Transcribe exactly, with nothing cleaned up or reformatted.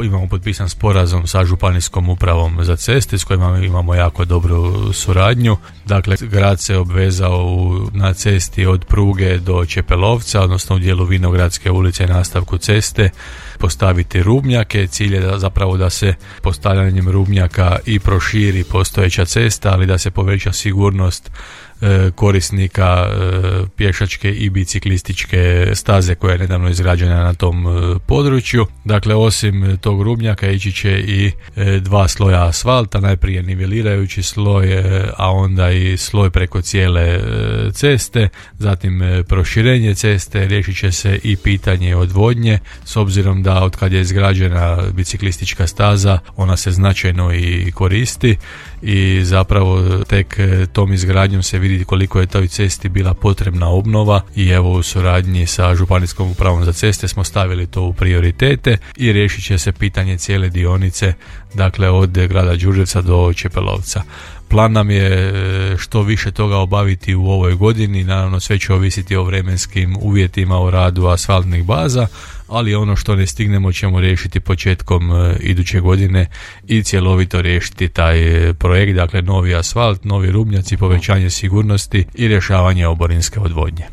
imamo potpisan sporazum sa županijskom upravom za ceste s kojima imamo jako dobru suradnju. Dakle, grad se obvezao u, na cesti od Pruge do Čepelovca, odnosno u dijelu Vinogradske ulice i nastavku ceste, postaviti rubnjake. Cilj je da, zapravo da se postavljanjem rubnjaka i proširi postojeća cesta, ali da se poveća sigurnost korisnika pješačke i biciklističke staze koja je nedavno izgrađena na tom području. Dakle, osim tog rubnjaka ići će i dva sloja asfalta, najprije nivelirajući sloj, a onda i sloj preko cijele ceste, zatim proširenje ceste, riješit će se i pitanje odvodnje, s obzirom da od kad je izgrađena biciklistička staza ona se značajno i koristi i zapravo tek tom izgradnjom se vidi koliko je toj cesti bila potrebna obnova i evo u suradnji sa županijskom upravom za ceste smo stavili to u prioritete i riješit će se pitanje cijele dionice, dakle od grada Đurđevca do Čepelovca. Plan nam je što više toga obaviti u ovoj godini, naravno sve će ovisiti o vremenskim uvjetima u radu asfaltnih baza, ali ono što ne stignemo ćemo riješiti početkom iduće godine i cjelovito riješiti taj projekt, dakle novi asfalt, novi rubnjaci, povećanje sigurnosti i rješavanje oborinske odvodnje.